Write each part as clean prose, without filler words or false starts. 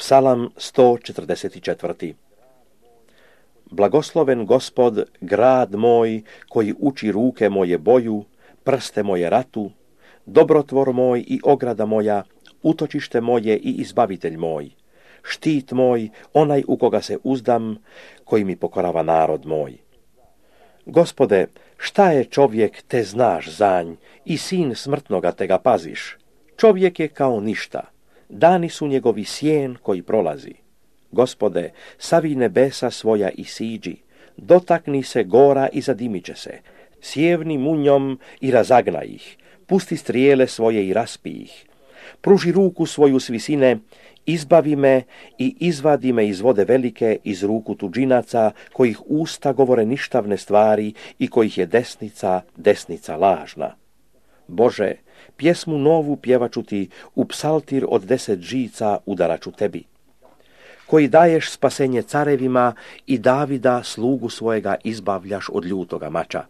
Psalam 144. Blagosloven Gospod, grad moj, koji uči ruke moje boju, prste moje ratu, dobrotvor moj i ograda moja, utočište moje i izbavitelj moj, štit moj, onaj u koga se uzdam, koji mi pokorava narod moj. Gospode, šta je čovjek, te znaš zanj, i sin smrtnoga te ga paziš? Čovjek je kao ništa, dani su njegovi sjen koji prolazi. Gospode, savi nebesa svoja i siđi, dotakni se gora i zadimit će se, sjevni munjom i razagna ih, pusti strijele svoje i raspi ih. Pruži ruku svoju s visine, izbavi me i izvadi me iz vode velike, iz ruku tuđinaca, kojih usta govore ništavne stvari i kojih je desnica lažna. Bože, pjesmu novu pjevaću ti, u psaltir od 10 žica udaraću tebi, koji daješ spasenje carevima i Davida, slugu svojega, izbavljaš od ljutoga mača.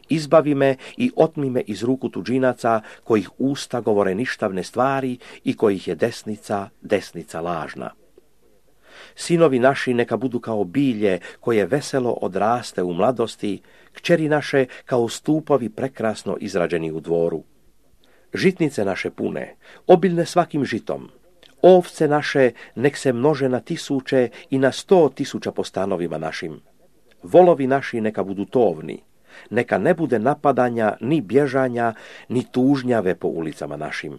Izbavi me i otmi me iz ruku tuđinaca, kojih usta govore ništavne stvari i kojih je desnica lažna. Sinovi naši neka budu kao bilje koje veselo odraste u mladosti, kćeri naše kao stupovi prekrasno izrađeni u dvoru. Žitnice naše pune, obilne svakim žitom, ovce naše nek se množe na 1000 i na 100.000 po stanovima našim. Volovi naši neka budu tovni, neka ne bude napadanja, ni bježanja, ni tužnjave po ulicama našim.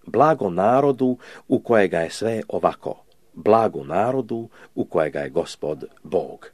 Blago narodu u kojega je sve ovako, blago narodu u kojega je Gospod Bog.